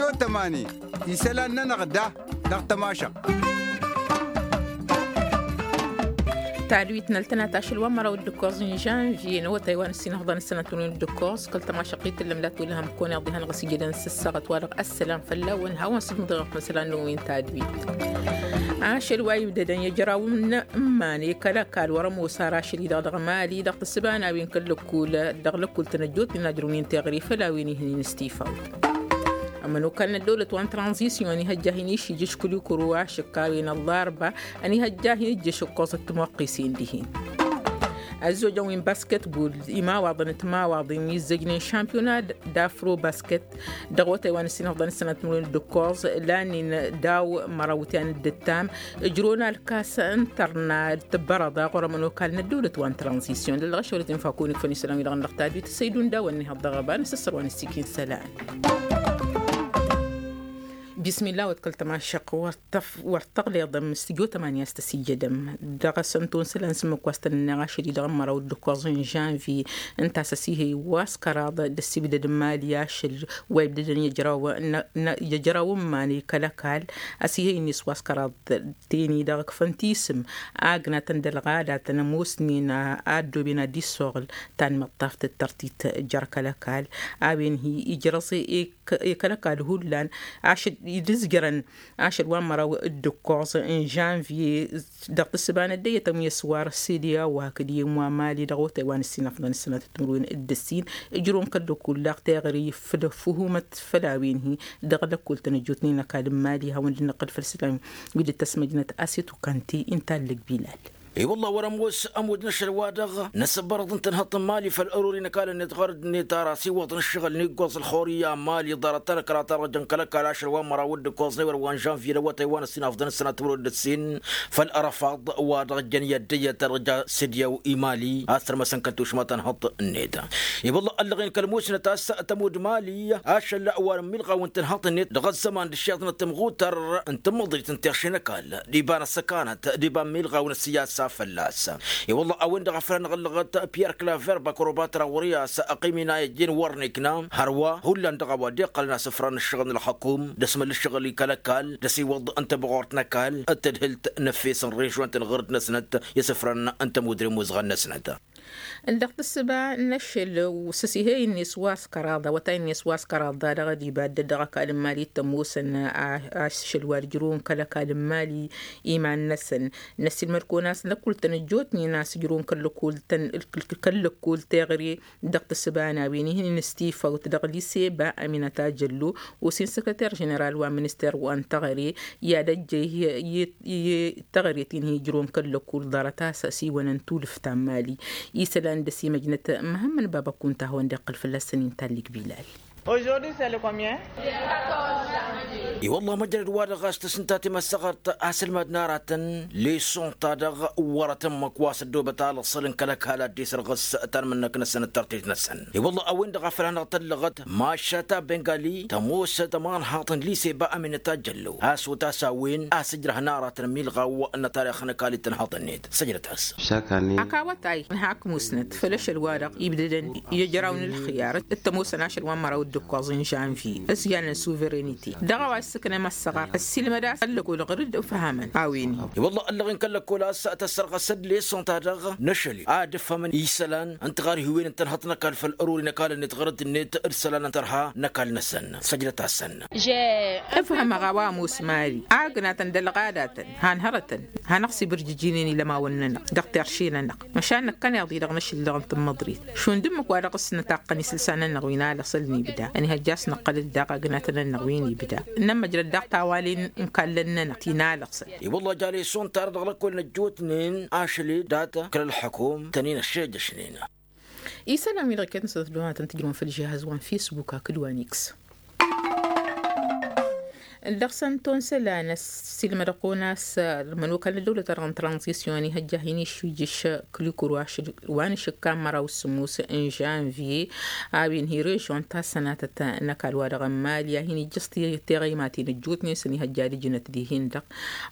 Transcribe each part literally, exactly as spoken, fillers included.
Otămani isălan-nănăɣ da dăɣ-tămašăɣt. Tadwit n-ăltănat ašăl wa n-măraw d-ǝkkoẓ n-žănvye n-awătay wa n-ǝssin ăhḍan ǝssănăt n-win d-ǝkkoẓ kăl-tămašăɣt i-tǝllăm la tolhăm kăwăn-iḍihăn ɣas ijădăn s-ǝssaɣăt wa dăɣ-ăssălam fălla-wen hawăn-sǝdmǝḍeɣ ăkmăsălan n-win tadwit. Ašăl wa ibdădăn i-ăjraw n-iman i-kăl-ăkall wăr-ămoos ar ašăl-i-dăɣ dăɣ-mali dăɣ-tǝssǝba n-a-wen kăl-lăkkul dăɣ-lăkkul tănăjjot n-inadrăwnen teɣăre făll-a-wen ihǝnin s-tifawt. Ămănokal n-ăddăwlăt wa n-tranzisyon ănihăjja hin-išijǝš kăl-ikru ašăk a-wen ăllarba ănihăjja hin-ijjǝš ǝkkoẓăt timoqqisen dihen. Ăzzojăn wi n-basketbol imawaḍăn d-timawaḍen wi ǝzzăjnen šampiyona d-afro basket dăɣ-otay wa n-ǝssin ăfḍăn ǝssănăt timǝrwen d-ǝkkoẓ lanen daw-măraw tiyan d-ǝttam ǝjrăwăn alkas n-tărna d-tǝbbărăḍa ɣur-ămănokal n-ăddăwlăt wa n-tranzisyon d-ăllăɣ ašăwălăt infakun ikfăn isălan wi dăɣ-năɣ tadwit s-ăydun daw-ănnihăḍ dăɣ-ăba n-asǝssăr wa n-ǝssikin isălan. Bismillah wăt kăl-tămašăq wăr tăf wăr tăɣleḍăm s-tijotăm ani a-s tăsijădăm dăɣ-asăn tonsălan s-ǝmmǝk wa s-tăn-ǝnneɣ ašăl-i-dăɣ n-măraw d-ǝkkoẓ n-žănvye ǝnta a-s ăsihăy wa s-kăraḍ d-ăssibdăd n-imali ašăl wa ibdădăn i-ăjraw n-iman i-kăl-ăkall ăsihăy-net wa s-kăraḍ. Teni-dăɣ ǝkfăn tisǝm agnatăn d-ălɣadatăn ămoosnen a ăddooben ad-dd-issoɣǝl tanmăḍtaft d-tărtit jer-kăl-ăkall a-wen hi-ijrăẓ i-kăl-ăkall hullan ašăl i-dd-ǝzjărăn ašăl wa n-măraw d-ǝkkoẓ n-žănvye dăɣ-tǝssǝba n-ăddăyyătăn wi ăswar s-ed i-a-wa hakd i-ămwa mali dăɣ-otay wa n-ǝssin ăfḍăn ǝssănăt timǝrwen d-ǝssin ǝjrǝwăn kăl-lăkul daɣ teɣăre făll-ăffuhumăt făll-a-wen-hi dăɣ-lăkul tănăjjot n-inăkall n-mali hawăn-dd-năqqǝl făll-isălan wi dd-tăsmăjnăt asetu kănti inta ăllăg bilal. I-wălla wăr-ămoos ămudd n-ašăl-wa-dăɣ n-asǝbbărăḍ n-tǝnhăḍt n-mali făll-ărori n-ăkall-net ɣărăd-net ar asiwăḍ n-ǝššăɣǝl n-iggoẓ ălxur i-a mali ḍarăt-ta n-ăkratăn răjăn kăl-ăkall ašăl wa n-măraw d-ǝkkoẓ n-ewăr wa n-žănvye d-awătay wa n-ǝssin afḍăn ǝssănat timǝrwen d-ǝssin făll-ărăfaḍ wa dăɣ-jăn i-ăddăyyăt ta dăɣ-ja sǝdyaw i-mali a-s tărmăsăn kăl-tušma tănhăḍt-net. I-wălla ăllăɣen kăl-musnăt a-s tămud mali ašăl wa n-imilɣaw n-tǝnhăḍt-net dăɣ-ăzzăman d-ǝššiḍnăt tămɣutăr n-tǝmmăḍrit n-tiɣše n-ăkall d-iba n-ăssăkanăt d-iba n-imilɣaw n-ăssiyasa fălla-s. I-wălla a-wen-dăɣ a făl anăɣ-ăllăɣăt piyăr klaver bakăroba tărawări a-s ăqqim inayăjjen wăr n-ikna hărwa hullan dăɣ-a-wa dd-iqqălăn asǝfran n-ǝššăɣǝl n-ălxăkum d-asmăl ǝššăɣǝl i-kăl-ăkall d-asiwăḍ n-tabɣurt n-ăkall d-tadhǝlt n-efes n-režon tǝnɣăr-dd-năsnăt i-asǝfran n-tămudre n-imuzɣăn-năsnăt. Ǝndăɣ-tǝssǝba n-ašăl s-asihăy-net wa s-kăraḍa wătay-net wa s-kăraḍa dăɣ-ădiba dd-dăɣ-ăkall n-mali t-ămoosăn ašăl wa dd-ǝjrǝwăn kăl-ăkall n-mali iman-năsăn. Năssiilmăd-kăwăn a-s lăkkul tăn-ăjjootnen a-s ǝjrǝwăn kăl-lăkkul tăn-kăl-lăkkul teɣăre dăɣ-tǝssǝba n-a-wen ihǝnǝn s-tifawt dăɣ-lise ba aminăt ajăllo osin săkrăter ženeral wa n-minister wa n-teɣăre i-ad-ăjjăy i-teɣăre ti n-hi-ǝjrǝwăn kăl-lăkkul ḍarăt a-s ăsiwănăn tulǝft ta n-mali. Isălan dăr-s imăjnăt măhămmăn baba kunta a hawăn-dd-iqqǝl fălla-săn inta ăllig bilal. Aujourd'hui c'est le combien? I-wălla măjrăd-wa-dăɣ a-s tăsǝnta timăssăɣărt asǝlmad n-aratăn leson-ta-dăɣ wărăt ǝmmǝk wa s-ăddoobăt alăṣṣăl n-kăl-ăkall ad-dd-isărɣǝs tanmǝnnăk-năsăn d-tărtit-năsăn. I-wălla a-wen-dăɣ a făl hanăɣ-tăllăɣăt mašata bengali tămoos tămanhaḍt n-lise ba ăminăt ajăllo a-s otas a-wen a-s ǝjrăhăn aratăn ămilɣaw n-atarix n-ăkall i-tănhaḍ-net săjdăt-as. Ak awătay n-hak musnăt făll-ašăl-wa-dăɣ ibdădăn i-ăjraw n-ǝlxǝyar d-tămoosăn ašăl wa n-măraw d-ǝkkoẓ n-žănvye s-ijan n-suverănite dăɣ-a-wa s-sǝknăm ăssăɣar ăssiilmăd-as ăllăkol ɣǝr-dd ǝfhămăn a-wen-hi. I-wălla ăllăɣen kăl-lăkol a-s tăssărɣăs-dd leson-ta-dăɣ n-ašăl-i ad-ǝfhămăn isălan n-tiɣarhiwen n-tănhăḍt n-ăkall făll-ărori n-ăkall-net ɣărăt-net d-isălan n-tărha n-ăkall-năsăn. Săjdăt-asăn. Ǝfhămăɣ a-wa ămoos mari agnatăn d-ălɣadatăn han hărătăn hanăɣ-sibǝrjǝjinen ilămawăn-nănăɣ dăɣ-terše-nănăɣ. Măšan năkkăneḍ-i-dăɣ n-ašǝl-dăɣ n-tǝmmăḍrit šund ǝmmǝk wa dăɣ-s nǝtaqqăn isǝlsa-nănăɣ wi n-alăɣsăl n-ibda ănihăjja a-s năqqăl-dd daɣ agnatăn-nănăɣ wi n-ibda. Nămmăjrăd daɣ tawalen n-kallăn-nănăɣ ti n-alăɣsăl. I-wălla jale šund tarăḍ dăɣ-lăkkol n-ăjjootnen ašăl-i dat-kăl-ălḥăkum tăn-in-ăššejăšnen. Isălan wi-dăɣ iket n-sănăt duhatăn tǝjrǝwăn făll-žihaz wa n-fisbuk hakd wa n-iks. Dăɣ-săn tonsălan ăssiilmădăɣ-kăwăn a-s ămănokal n-ăddăwlăt-ta-dăɣ n-tranzisyon ihăjja hin-išwijǝš kǝlikǝr wa n-išǝkka n-măraw s-sǝmmus n-žănvye a-wen hi-režyon ta sănatăt n-ăkall-wa-dăɣ n-mali a hin-ijjăẓ teɣăymaten ăjjootnen s-ănihăjja ad-ǝjǝnăt dihen-dăɣ.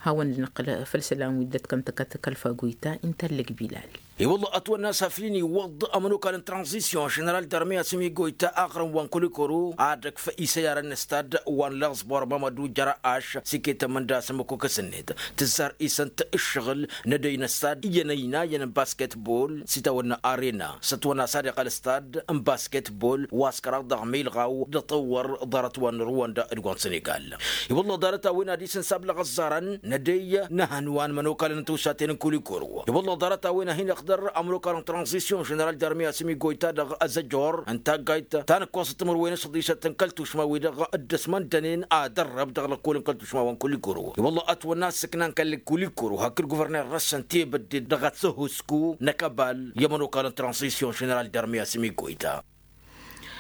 Hawăn-dd-năqqǝl făll-isălan wi dd-ătkăntăkăt kăl-fagoyta inta ăllăg bilal. I-wălla ătwănna a-s aflin iwwăḍ ămănokal n-tranzisyon ženeral d-armi asǝm igoyta aɣrǝm wa n-kulikoro ad-ăkf isăyarăn n-stad wa n-laẓbor bamădu jărăaš s-iket ămǝnda s-ămmăkokăs-net tǝzzar isănt ǝššăɣǝl n-edăy n-stad iyyăn ăynayăn n-basketbol s-itawănna arena s-ătwănna a-s ad-iqqăl stad n-basketbol wa s-kăraḍ dăɣ-milɣaw d-aṭăwwăr ḍarăt wa n-ruwănda d-wa n-sănegal. I-wălla ḍarăt-a-wen ad-isǝnsab lăɣăẓẓarăn n-edăy n-ehăn wa n-imănokalăn n-tiwsaten n-kulikoro. I-wălla ḍarăt-a-wen ad-hin-iqdăr ămrokal n-tranzisyon ženeral d-armi asǝm igoyta dăɣ-azăjor n-taggayt ta n-ǝkkoẓăt timǝrwen s-ăḍisăt n-kăl-tušma-wi-dăɣ dd-ăsmăndănen ad-ărrăb dăɣ-lăkkol n-kăl-tušma wa n-kulikoro. I-wălla ătwănna ăssǝkna n-kăl-kulikoro hakd guvărner-năsăn tebădde dăɣ-ad-săhusku n-akăbal i-ămrokal n-tranzisyon ženeral d-armi asǝm igoyta.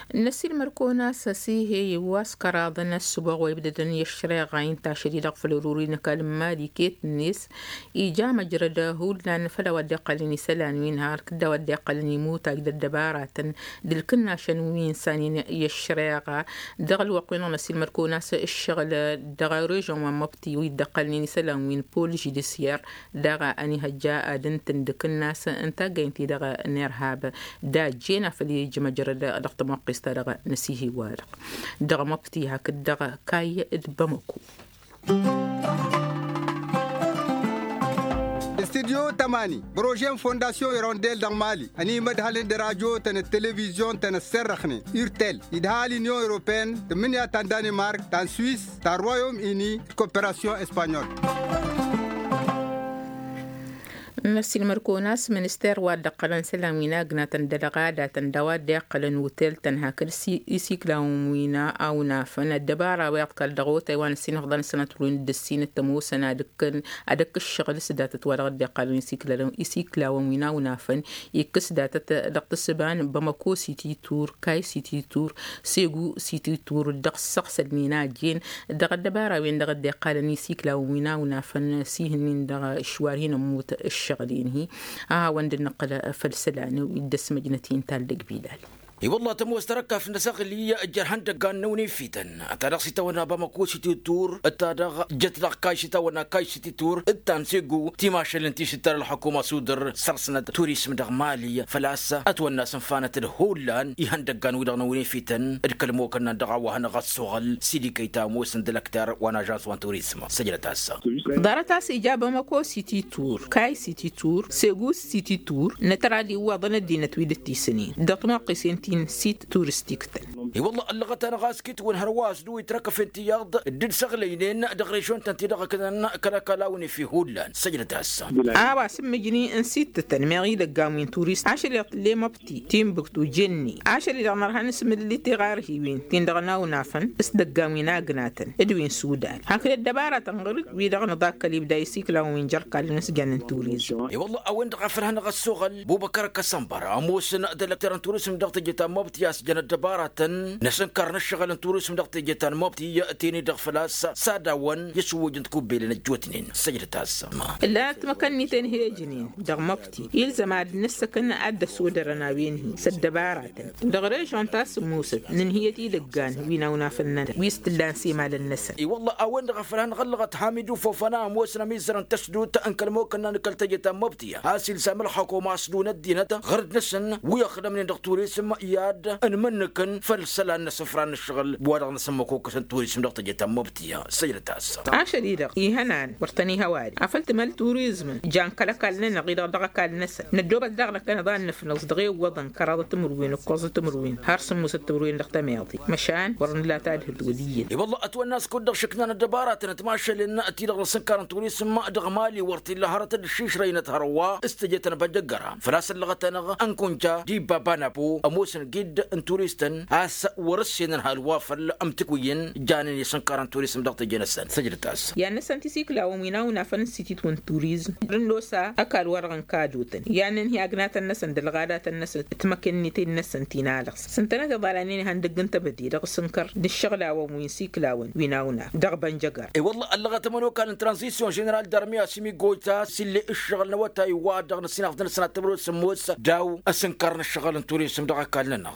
N-ăsilmăr-kăwăn-as ăsihe i-wa s-kăraḍăn ăssǝboɣ wa ibdădăn i-ăššăreɣa inta ašăl-i-dăɣ făll-orori n-ăkall n-mali iket-net ija măjrăd hullan făll-a-wa dd-iqqălăn isălan wi n-har kǝdda a-wa dd-iqqălăn imutaj d-ăddăbaratăn d-ǝlkǝnnašăn wi n-sanen i-ăššăreɣa. Dăɣ-ălwăqq-wi-dăɣ n-ăsilmăr-kăwăn-as ǝššăɣǝl dăɣ-režon wa n-măbti wi dd-ăqqălnen isălan wi n-pol žudisyer daɣ a ănihăjja ad-ǝntǝn d-akǝnnas n-taggăynt-i-dăɣ n-irhab. Dajjen a făl ija măjrăd dăɣ-tămoqqes-ta dăɣ-năsihiwa-dăɣ dăɣ-măbti hakd dăɣ-kayy d-bamăko. Studyo tămani projet n-fondasyon irondel dăɣ-mali ănimădhălăn d-radyo-tăn d-televizyon-tăn ăsserrăxnen urtel idha l-inyon europeen tǝmmǝnǝya ta n-danimark ta n-swis ta n-royom ini d-koperasyon espanyol. N-ăsilmăr-kăwăn-as minister wa dd-ăqqălăn isălan wi n-agnatăn d-ălɣadatăn d-a-wa dd-iqqălăn utel-tăn hakd isiklawăn wi n-awnafăn ăddăbara wa iḍkal dăɣ-otay wa n-ăsinăfḍăn sănăt-win d-ǝssin d-tămoosăn ad-ǝkkǝn ad-ǝkk ǝššăɣǝl s-datăt wa dăɣ-dd-iqqalăn isiklawăn wi n-awnafăn ikkǝs datăt dăɣ-tǝssǝba n-bamăko sititur kay sititur segu sititur dăɣ-săɣsăl n-inajen dăɣ-ăddăbara-wen-dăɣ dd-iqqalăn isiklawăn wi n-awnafăn s-ihǝnnin dăɣ-išwar hin-ămmut ǝššăɣǝl-in-hi. A hawăn-dd-nǝqqǝl făll-isălan wi dd-ăsmăjnăt-in tallăg bilal. I-wălla tămoos tărăkkaf n-asăɣli ăjjăr ihăndăggan n-awnefităn ta dăɣ-s itawănna bamăko sititur d-ta dăɣ-jăt dăɣ-kay s-itawănna kay sititur d-ta n-segu timašălăn ti s-dd-tăra ălxukuma s-udǝr săr-snăt turism dăɣ-mali făl-a-s ătwănna s-ǝnfanăt d-hullan ihăndăggan-wi-dăɣ n-awnefităn d-kăl-imokănnan dăɣ-a-wa hanăɣ-ăssoɣăl s-idikăy ta ămoosăn d-ălăktar wa n-ažans wa n-turism. Săjdăt-as. Ḍarăt-as ija bamăko sititur kay sititur segus sititur n-ătrad iwwaḍăn ăddinăt wi dd-tisǝnin dăɣ-timoqqisen ti n-sit turistik-tăn. I-wălla ăllăɣăt-anăɣ a-s kitwǝn hărwa a-s dăɣ-wi trăkăfen tiyyăḍ dd-săɣlăynen dăɣ-režon-tăn ti-dăɣ ăknăn kăl-ăkall a-wen ifi hullan. Săjdăt-as. A-wa s-ǝmmǝjni n-sittătăn meɣ idăggan wi n-turist ašăl-i-dăɣ tǝlle măbti timbuktu jenne ašăl-i-dăɣ nărha n-asmǝlli tiɣarhiwin-tin-dăɣ n-awnafăn s-idăggan wi n-agnatăn d-wi n-sudan hakd ăddăbaratăn ɣur-dd wi-dăɣ nǝḍakkăl ibda isiklawăn wi n-jărkal n-asjan n-turizm. I-wălla a-wen-dăɣ a făl hanăɣ-ăssoɣăl bubăkăr kăsănbăr ămoosăn d-ălăkter n-turizm dăɣ-teje ta n-mobti a-s jăn ăddăbaratăn n-asǝnkar n-ǝššăɣǝl n-turizm dăɣ-teje ta n-mobti tene-dăɣ făl-a-s s-ad-awăn i-ăšwǝwǝj n-tikubbelen ăjjootnen. Săjdăt-as. Ǝllan ătmăkăn-iten hi-ăjnen dăɣ-mobti ilzăm ad-nǝssăkăn ad-dd-ăsodărăn a-wen-hi s-ăddăbaratăn dăɣ-režon ta s-ămoosăt nǝnhǝyăt idăggan wi n-awnafăn-nănăɣ wi s-t-ǝllan s-imalăn-năsăn. I-wălla a-wen-dăɣ a făl hanăɣ-ăllăɣăt hamidu fofăna ămoosăn ămizzăr n-tăsdut n-kăl-imokănna n-kăl-teje ta n-mobti a-s ilzam ălxukuma a-s dun ăddinăt ɣur-dd-năsăn wi ăxdămnen dăɣ-turism i-ad-ănmǝnnǝkăn făll-isălan n-asǝfra n-ǝššăɣǝl wa dăɣ-năsămmăkokăsăn turism dăɣ-teje ta n-mobti. Săjdăt-as. Ašăl-i-dăɣ ihănan wăr tăn-ihăwad afăl tǝmăl turizmăn jan kăl-ăkall-nănăɣ-i-dăɣ dăɣ-ăkall-năsăn năddoobăt daɣ năkkăneḍ ad-nǝfnăẓ dăɣ-ewwăḍăn kăraḍăt timǝrwen ǝkkoẓăt timǝrwen har sǝmmusăt timǝrwen dăɣ-tămeḍe. Măšan wăr nǝla tadhǝt wăl' iyyăn. I-wălla ătwănna a-s kud-dăɣ šǝknan ăddăbaratăn timašălen ti-dăɣ dăɣ-sǝnkar n-turism dăɣ-mali wăr t-illa hărăt d-ǝššišrăynăt hărwa s-teje ta n-băjjăggăra făl-a-s ăllăɣăt-anăɣ ănkunja d-ibba banapo ămoosăn gid n-turistăn a-s wăr-ǝssenăn hal wa făl ămtǝkwǝyăn janen isǝnkar n-turism dăɣ-teje-năsăn. Săjdăt-as. I-ad-năsăn tisiklawăn wi n-awnafăn n-sitit wa n-turizm d-ănnosa ăkall-wa-dăɣ n-kadotăn i-ad-nǝnhǝy agnatăn-năsăn d-ălɣadatăn-năsăn d-timăkenniten-năsăn ti n-alăɣs s-ǝntănăt iḍalan-en ihăndăgg n-tebăde dăɣ-asǝnkăr n-ǝššăɣlawen wi n-siklawăn wi n-awnaf dăɣ-bănjăgăr. I-wălla ăllăɣăt ămănokal n-tranzisyon ženeral d-armi a-s imigojta s-ill'-e ǝššăɣǝl n-awătay wa dăɣ-năsinafḍăn sănat tămrăwt s-ămoos d-a-wa ăsǝnkar n-ǝššăɣǝl n-turism dăɣ-ăkall-nănăɣ.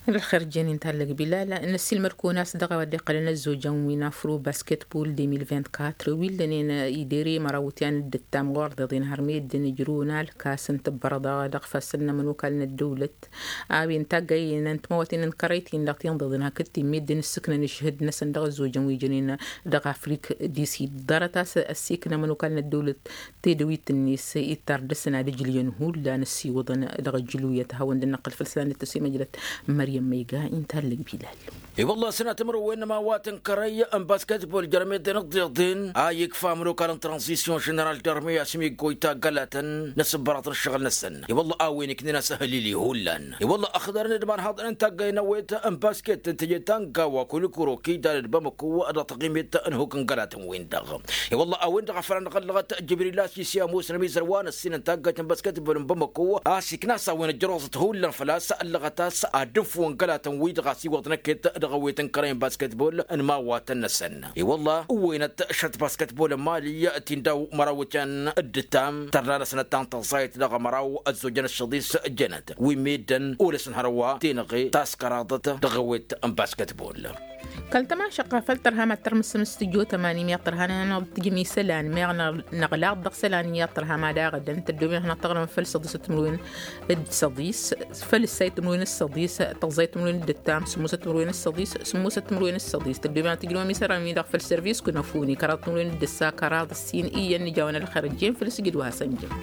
Ălxer jen-in tallăg bilal. Năssiilmăd-kăwăn a-s dăɣ-a-wa dd-iqqălăn ăzzojăn wi n-afro basketbol deux mille vingt-quatre wi ǝllănen idere mărawăt i-ad-dd-ǝttam ɣur-deḍen har meddǝn ǝjrǝwăn alkas n-tǝbbărăḍa dăɣ-ifassăn n-ămănokal n-ăddăwlăt a-wen taggaynen n-timawăten n-kărăyt-in-dăɣ tinḍeḍen hakd-t-in meddǝn ǝssǝknăn ǝšhǝd-năsăn dăɣ-ăzzojăn wi jănen dăɣ-afrik disid. Ḍarăt a-s ăssiikna ămănokal n-ăddăwlăt tedăwit-net ittar dăr-săn ad-ǝjlǝyăn hullan ăssiwăḍăn dăɣ-ǝjlǝwiyăt a hawăn-dd-năqqǝl făll-isălan d-tăsimăjrăt. Măryăm ma iga inta ăllăg bilal. I-wălla sănatăm răwen n-ămawat n-kărăy n-basketbol jărmedăn ǝḍḍeḍen a ikfa ămănokal n-tranzisyon ženeral dărmey a-s imiggoy taggălatăn n-asǝbbărăḍ n-ǝššăɣǝl-năsăn. I-wălla a-wen iknen asăhălili hullan. I-wălla ăxdărăn d-imanhaḍăn n-taggăy n-awet n-basket n-teje ta n-gawa kulikuro kidal d-bamăko dăɣ-taɣimet n-huk n-gălatăn-win-dăɣ. I-wălla a-wen-dăɣ a făl a năɣ-ăllăɣăt jibril a-s isi ămoos n-ămizărwa n-ăssin n-taggăyt n-basket n-băl n-bamăko a-s ikna a-s a-wen ăjrăwăẓăt hullan făl-a-s ăllăɣăt a-s ad-ǝfwǝn gălatăn-wi-dăɣ a-s iwwăḍ năkket dăɣ-ewet n-kărăy n-basketbol n-imawatăn-năsăn. I-wălla ǝwwăynăt šăt basket n-băl n-mali ti n-daw măraw ăcăn d-ǝttam tărna-năsnăt ta n-tăẓẓayăt dăɣ-măraw ăzzojăn ăššăḍis jănăt wi meddǝn olăsăn hărwa tenăɣe ta s-kăraḍăt dăɣ-ewet n-basketbol. Kăl-tămašăqqa făll-tărha mad-tărmǝsǝm s-tǝjot ămani meɣ tărha n-ad-tǝjǝm isălan meɣ năɣlaḍ dăɣ-isălan iyyăḍ tărha mad-aɣădăn tăddoben ad-hanăɣ-tăɣrǝmăm făll-săḍis timǝrwen d-săḍis făll-ǝssay timǝrwen d-săḍis tăẓẓay timǝrwen d-ǝttam sǝmmosăt timǝrwen d-săḍis sǝmmosăt timǝrwen d-săḍis tăddoben ad-tǝjrǝmăm isălan-wi-dăɣ făll-servis kănăfuni kăraḍ timǝrwen d-ǝssa kăraḍ ǝssin iyyăn nǝja-wăn ălxer ǝjjen făll-sǝjǝd wa hasăn-jăm.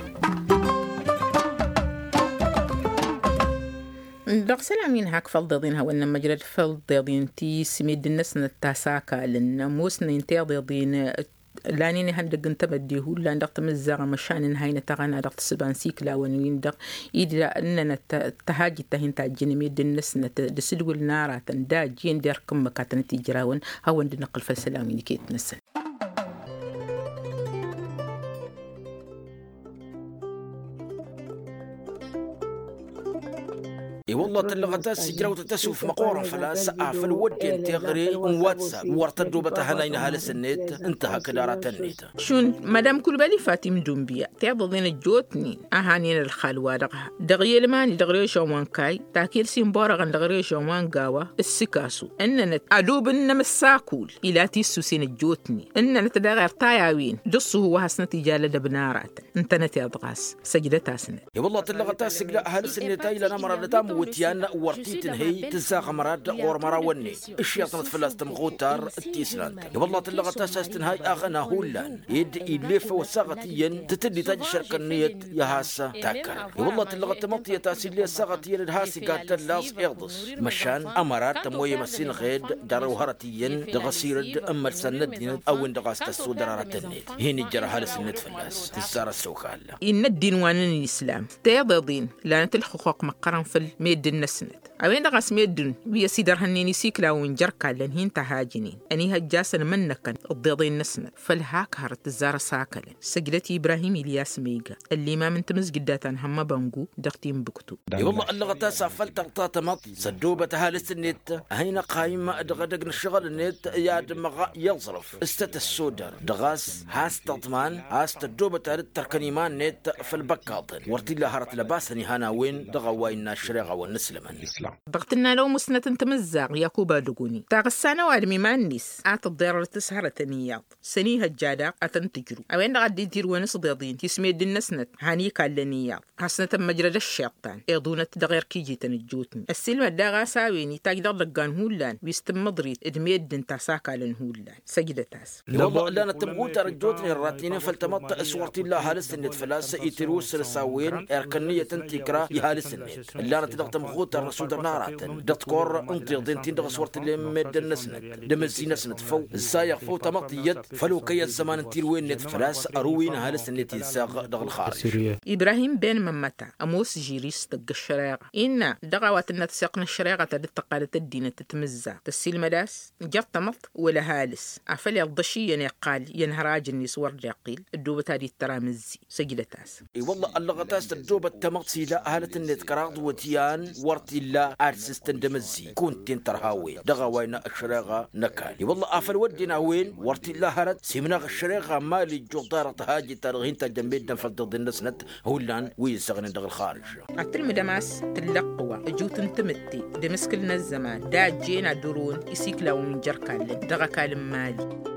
Dăɣ-isălan wi n-hak făll-deḍen hawăn-nămmăjrăd făll-deḍen ti s-meddǝn-năsnăt ta s-akalăn ămoosnen teḍeḍen lanen ihăndăgg n-temădde hullan dăɣ-tamǝzzaɣ măšan n-haynăt aɣăna dăɣ-tǝssǝba n-siklawăn-win-dăɣ ida ǝnnănăt tăhajit ta hin-tajjăn meddǝn-năsnăt d-asǝdwǝl n-aratăn d-ajjen d-erk ǝmmǝk a tănăt-ijrawăn. Hawăn-dd-năqqǝl făll-isălan wi n-iket-năsăn. I-wălla tǝllăɣăt a-s ijrawtăt asuf măqqoorăn făl-a-s afăl wădden teɣăre n-whatsapp wăr tăddobăt ahănay n-ăhalǝs-net ǝnta hakd aratăn-net. Šund madam kulbali fatim dunbiya teḍăḍen ăjjootnen a hanen ălxal-wa-dăɣ dăɣ-i ălmani dăɣ-režăn wa n-kayy takel s-inborăɣăn dăɣ-režăn wa n-gawa ǝssǝkasu ǝnnănăt adub n-inămăssakul ila tissusen ăjjootnen ǝnnănăt daɣ irtay a-wen d-ǝṣṣuhu wa hasnăt ija alădăb n-aratăn. Ǝntănăt iḍ ɣas săjdăt-asnăt. I-wălla tǝllăɣăt a-s ǝgla ăhalǝs-net a ilan amăra d-tamǝwǝtyan wăr t-tǝnhǝy tǝzzaɣ amăra d-ɣur-mărawăn-net ǝššăyăḍnăt fălla-s tămɣutar d-tisnant. I-wălla tǝllăɣăt a-s a-s tǝnhăy aɣăna hullan ed ill'-e făw ăssaɣăt iyyăn tǝtǝllit a jǝššărkăn nǝyăt i-ad-has-takkărăn. I-wălla tǝllăɣăt tamăḍt iyyăt a-s ill'-e ăssaɣăt iyyăn d-has-iga tălla-s iḍǝs măšan amăra d-tămoyăm ăsinɣed jar-ăw hărăt iyyăn dăɣ-asirǝd n-imălsan n-ăddinăt a-wen-dăɣ a-s tăssodăr aratăn-net. Hin-ijjăr ăhalǝs-net fălla-s tǝssar ăssokal. Innă ăddin wa n-islam teḍeḍen lanăt ǝlxǝxuq măqqărăn făll-meddǝn-năsnăt a-wen-dăɣ a-s meddǝn wi ăsidărhănnen isiklawăn jer-kallăn hin-tăhajǝnen ănihăjja-săn imǝnnăkăn ǝḍḍeḍen-năsnăt făll-hak hărăt tǝzzar ăsakălăn. Săjdăt ibrahim ilyas ma iga ăllimam n-tamǝzjǝd data n-hămmăbăngu dăɣ-tinbǝktu. I-wălla ăllăɣăt a-s afăl tăɣta tamăḍt s-ăddoobăt ăhalǝs-net a hin-ăqqayǝm dăɣ-edăgg n-ǝššăɣǝl-net i-ad-dăɣ-s i-aẓrǝf s-tăt-ăssodăr dăɣ-a-s has-tăḍman a-s tăddoobăt ad-dd-tărkăn iman-net făll-băkkaḍăn wăr t-illa hărăt lăbasăn ihăn a-wen dăɣ-a-wa innă ăššăreɣa wa n-inǝslămăn. Dăɣ-tǝnna n-awmǝsnăt n-tamǝzzaɣt yakuba dăgoni taɣǝssa n-ăwadǝm iman-net a tǝḍḍerăr tǝshărătăn iyyăḍ s-ănihăjja daɣ ad-tăn-tǝjrǝw a-wen-dăɣ a dd-idirǝwăn s-ḍeḍen tismeddǝn-năsnăt han ikallen iyyăḍ. Hasnăt ămmăjrăd ăššiṭṭan iḍunăt dăɣ-erk ijităn ăjjootnen ăssiilmăd daɣ a-s a-wen itaj dăɣ-idăggan hullan wi s-tǝmmǝḍrit d-meddǝn ta s-akalăn hullan. Săjdăt-as. I-wălla ǝllanăt tămɣutar ăjjootnen ratnen făll-tamăḍt s-wăr t-illa ăhalǝs-net făl-a-s itǝrǝw s-săr-s a-wen erk ǝnniyăt n-tikra i-ăhalǝs-net ǝllanăt dăɣ-tămɣutar n-asudăr n-aratăn dăɣ-tikorră n-tiḍen-tin-dăɣ s-wăr t-illa immedden-năsnăt d-amǝzzi-năsnăt făw ǝzzayăɣ făw tamăḍt iyyăt făl okăy ăzzăman n-tilwen-net făl-a-s ărǝwǝy n-ăhalǝs-net izzaɣ dăɣ-ălxarǝj. Ibrahim ben mămmăta ămoos žiri s-tăgg ăššăreɣa innă dăɣ-a-wa tǝnna tăseɣt n-ăššăreɣa ta dd-tăqqalăt ăddinăt d-timǝzzaɣt tăssiilmăd a-s jer-tamăḍt wăla ăhalǝs afăl iḍăš iyyăn iqqal i-ănhăraj-net wăr dd-iqqil ăddoobăt ad-ittăr amǝzzi. Săjdăt-as. I-wălla ăllăɣăt a-s tăddoobăt tamăḍt s-ila ăhalǝt-net kăraḍ iwǝtyan wăr t-illa ad-sǝstăn d-emăzzi kunta-en tărha a-wen dăɣ-a-wa innă ăššăreɣa n-ăkall i-wălla afăl wădden a-wen wăr t-illa hărăt s-imnăɣ ăššăreɣa n-imali ǝjjuḍ darăt tahajit-ta-dăɣ hin-tajjăn meddǝn făll-tiḍen-năsnăt. Hullan wi ǝzzăɣnen dăɣ-ălxarǝž. Ad-tǝlmǝdăm a-s tǝllăqqǝwa ăjut n-tamǝtte d-emǝskǝl n-ăzzăman d-a ăjjeen ad-ărǝwăn isiklawăn wi n-jer-ikallăn dăɣ-ăkall n-imali.